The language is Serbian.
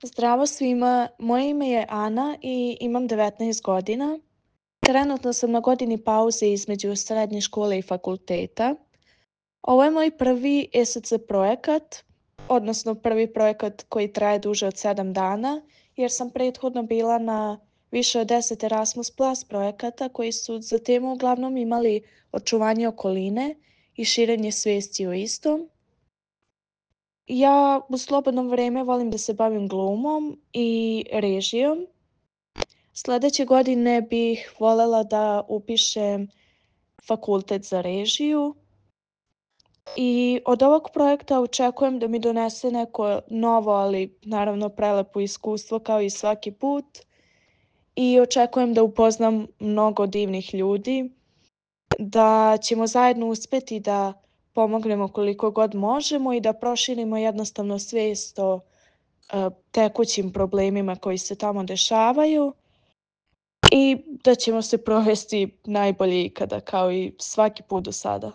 Zdravo svima, moje ime je Ana i imam 19 godina. Trenutno sam na godini pauze između srednje škole i fakulteta. Ovo je moj prvi ESC projekat, odnosno prvi projekat koji traje duže od 7 dana, jer sam prethodno bila na više od 10 Erasmus Plus projekata koji su za temu uglavnom imali očuvanje okoline i širenje svijesti o istom. Ja u slobodno vrijeme volim da se bavim glumom i režijom. Sljedeće godine bih voljela da upišem fakultet za režiju i od ovog projekta očekujem da mi donese neko novo, ali naravno prelepo iskustvo kao i svaki put i očekujem da upoznam mnogo divnih ljudi, da ćemo zajedno uspjeti da pomognemo koliko god možemo i da proširimo jednostavno svijest o tekućim problemima koji se tamo dešavaju i da ćemo se provesti najbolje ikada kao i svaki put do sada.